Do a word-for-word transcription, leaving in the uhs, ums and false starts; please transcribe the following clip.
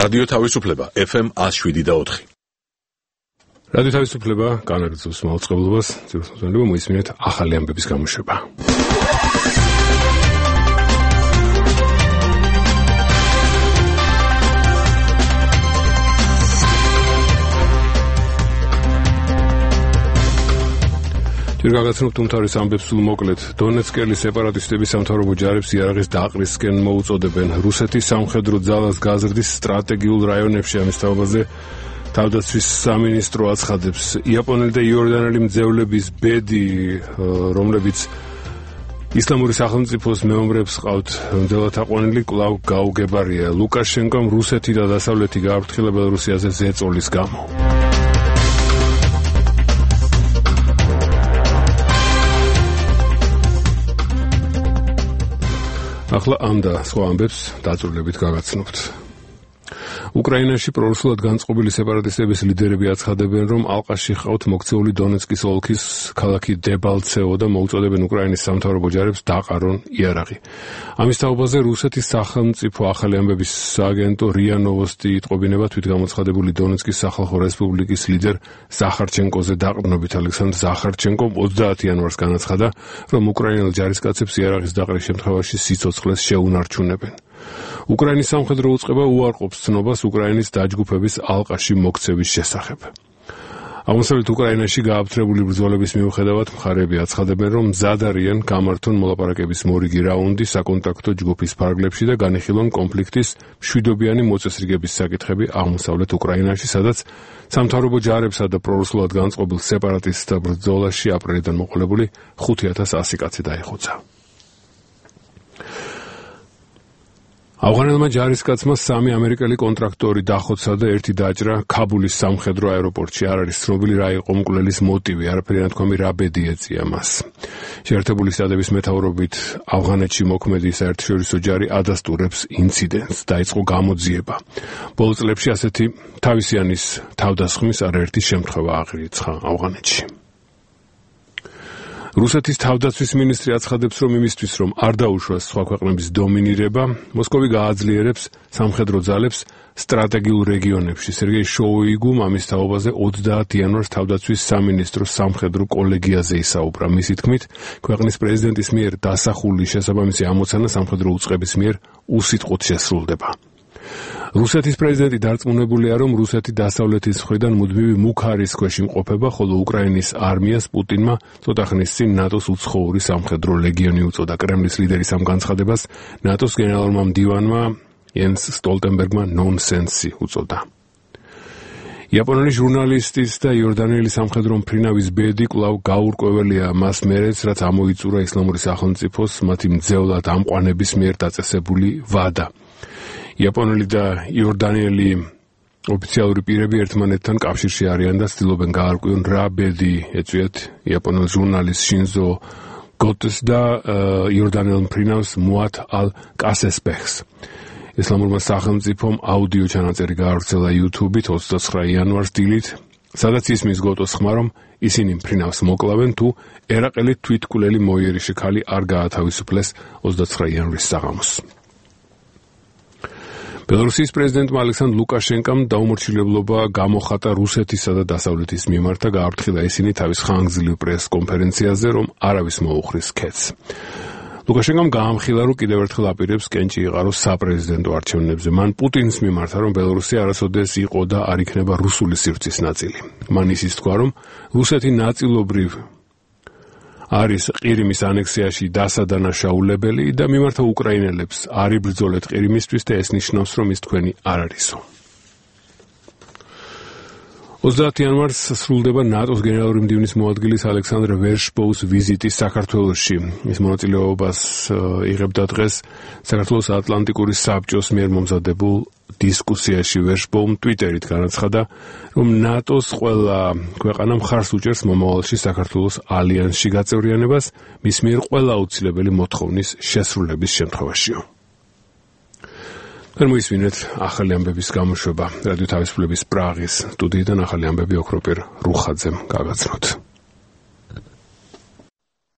რადიო თავისუფლება ეფ ემ one oh seven point four. რადიო თავისუფლება განაგრძობს მაუწყებლობას, ძირითადად მოისმინეთ ახალი ამბების გამოშვება. გაგაცნობთ უმთავრეს ამბებს სულ მოკლედ. დონეცკელი სეპარატისტების სამთავრობო ჯარებს იარაღის დაყრისკენ მოუწოდებენ. რუსეთის სამხედრო ძალას გაზრდის სტრატეგიულ რაიონებში. ამის თაობაზე თავდაცვის სამინისტრო აცხადებს. იაპონელი და იორდანელი მძევლების ბედი, რომლებიც ისლამური სახელმწიფოს მეომრებს ყავთ მძელათაყვანილი, კვლავ გაუგებარია. ლუკაშენკომ რუსეთი და დასავლეთი გააფრთხილა ბელორუსიაზე ზეწოლის გამო. ახლა ამ და სხვა ამბებს დაწვრილებით გაგაცნობთ. უკრაინაში პრორუსულად განწყობილი სეპარატისტების ლიდერები აცხადებენ, რომ ალყაში ჰყავთ მოქცეული დონეცკის ოლქის ქალაქი დებალცევო და მოუწოდებენ უკრაინის სამთავრობო ჯარებს დაყარონ იარაღი. ამის თაობაზე რუსეთის სახელმწიფო ახალი ამბების სააგენტო რია ნოვოსტი იტყობინება თვითგამოცხადებული დონეცკის სახალხო რესპუბლიკის ლიდერ ზახარჩენკოზე დაყრდნობით. ალექსანდრ ზახარჩენკომ ოცდაათი იანვარს განაცხადა, რომ უკრაინელ ჯარისკაცებს იარაღის დაყრის შემთხვევაში სიცოცხლეს შეუნარჩუნებენ. უკრაინის სამხედრო უწყება უარყოფს ცნობას უკრაინის დაჯგუფების ალყაში მოქცევის შესახებ. აღმოსავლეთ უკრაინაში გააფთრებული ბრძოლების მიუხედავად მხარეები აცხადებენ, რომ მზად არიან გამართონ მოლაპარაკების მორიგი რაუნდი საკონტაქტო ჯგუფის ფარგლებში და განიხილონ კონფლიქტის მშვიდობიანი მოწესრიგების საკითხები აღმოსავლეთ უკრაინაში, სადაც სამთავრობო ჯარებსა და პრორუსულად განწყობილ სეპარატისტთა ბრძოლაში აპრილიდან მოყოლებული ხუთი ათას ასი კაცი დაიხოცა. ავღანელმა ჯარისკაცმა სამი ამერიკელი კონტრაქტორი დახოცა და ერთი დაჭრა ქაბულის სამხედრო აეროპორტში. არ არის ცნობილი რა იყო მკვლელის მოტივი, არაფერი ნათქვამი რა ბედი ეწია მას. შეერთებული შტატების მეთაურობით ავღანეთში მოქმედი საერთაშორისო ჯარი ადასტურებს ინციდენტს. დაიწყო გამოძიება. ბოლო წლებში ასეთი თავისიანის თავდასხმის არაერთი შემთხვევა აღირიცხა ავღანეთში. რუსეთის თავდაცვის მინისტრი აცხადებს, რომ იმისთვის, რომ არ დაუშვას სხვა ქვეყნების დომინირება, მოსკოვი გააძლიერებს სამხედრო ძალებს სტრატეგიულ რეგიონებში. სერგეი შოუიგუმ ამის თაობაზე ოცდაათი იანვარს თავდაცვის სამინისტროს სამხედრო კოლეგიაზე ისაუბრა. მისი თქმით, ქვეყნის პრეზიდენტის მიერ დასახული შესაბამისი ამოცანა სამხედრო უწყების მიერ უსიტყვოდ შესრულდება. რუსეთის პრეზიდენტი დარწმუნებულია, რომ რუსეთი დასავლეთის მხრიდან მუდმივი მუქარის ქვეშ იმყოფება, ხოლო უკრაინის არმიას პუტინმა ცოტა ხნის წინ ნატოს უცხოური სამხედრო ლეგიონი უწოდა. კრემლის ლიდერის ამ განცხადებას ნატოს გენერალურმა მდივანმა იანს სტოლტენბერგმა ნონსენსი უწოდა. იაპონელი ჟურნალისტის და იორდანელი სამხედრო მფრინავის ბედი კვლავ გაურკვეველია მას მერეც, რაც ამოიწურა ისლამური სახელმწიფოს მათი მძევლად ამყვანების მიერ დაწესებული ვადა. იაპონელი და იორდანელი ოფიციალური პირები ერთმანეთთან კავშირში არიან და ცდილობენ გაარკვიონ რა ბედი ეწვიათ იაპონელ ჟურნალისტ შინზო გოტეს და იორდანელ მფრინავს მუატ ალ კასესბეხს. ისლამურმა სახელმწიფომ აუდიო ჩანაწერი გაავრცელა YouTube-ით ოცდაცხრა იანვარს დილით, სადაც ისმის გოტოს ხმა, რომ ისინი მფრინავს მოკლავენ თუ ერაყელი თვითკვლელი მოიერიში ქალი არ გაათავისუფლეს ოცდაცხრა იანვრის საღამოს. ბელორუსიის პრეზიდენტმა ალექსანდრ ლუკაშენკომ დაუმორჩილებლობა გამოხატა რუსეთისა და დასავლეთის მიმართ და გააფრთხილა ისინი თავის ხანგრძლივ პრეს-კონფერენციაზე, რომ არავის მოუხრის ქეთს. ლუკაშენკომ გაამხილა, რომ კიდევ ერთხელ აპირებს კენჭი იყაროს საპრეზიდენტო არჩევნებზე. მან პუტინის მიმართა, რომ ბელორუსია არასოდეს იყო და არ იქნება რუსული სივრცის ნაწილი. მან ისიც თქვა, რომ რუსეთი ნაწილობრივ არის ყირიმის ანექსიაში დასადანაშაულებელი და მიმართა უკრაინელებს არ იბრძოლეთ ყირიმისთვის და ეს ნიშნავს, რომ ის თქვენი არ არისო. ოცდაათი იანვარს სრულდება ნატოს გენერალური მდივნის მოადგილის ალექსანდრ ვერშბოუს ვიზიტი საქართველოში. ის მონაწილეობას იღებდა დღეს საქართველოს ატლანტიკური საბჭოს მიერ მომზადებულ დისკუსიაში. ვერშბოუმ ტვიტერით განაცხადა, რომ ნატოს ყველა ქვეყანა მხარს უჭერს მომავალში საქართველოს ალიანსში გაწევრიანებას, მის მიერ ყველა აუცილებელი მოთხოვნის შესრულების შემთხვევაშიო. მოისმინეთ ახალი ამბების გამოშვება. რადიო თავისუფლების პრაღის სტუდიიდან ახალი ამბები ოქროპირ რუხაძემ გაგაცნოთ.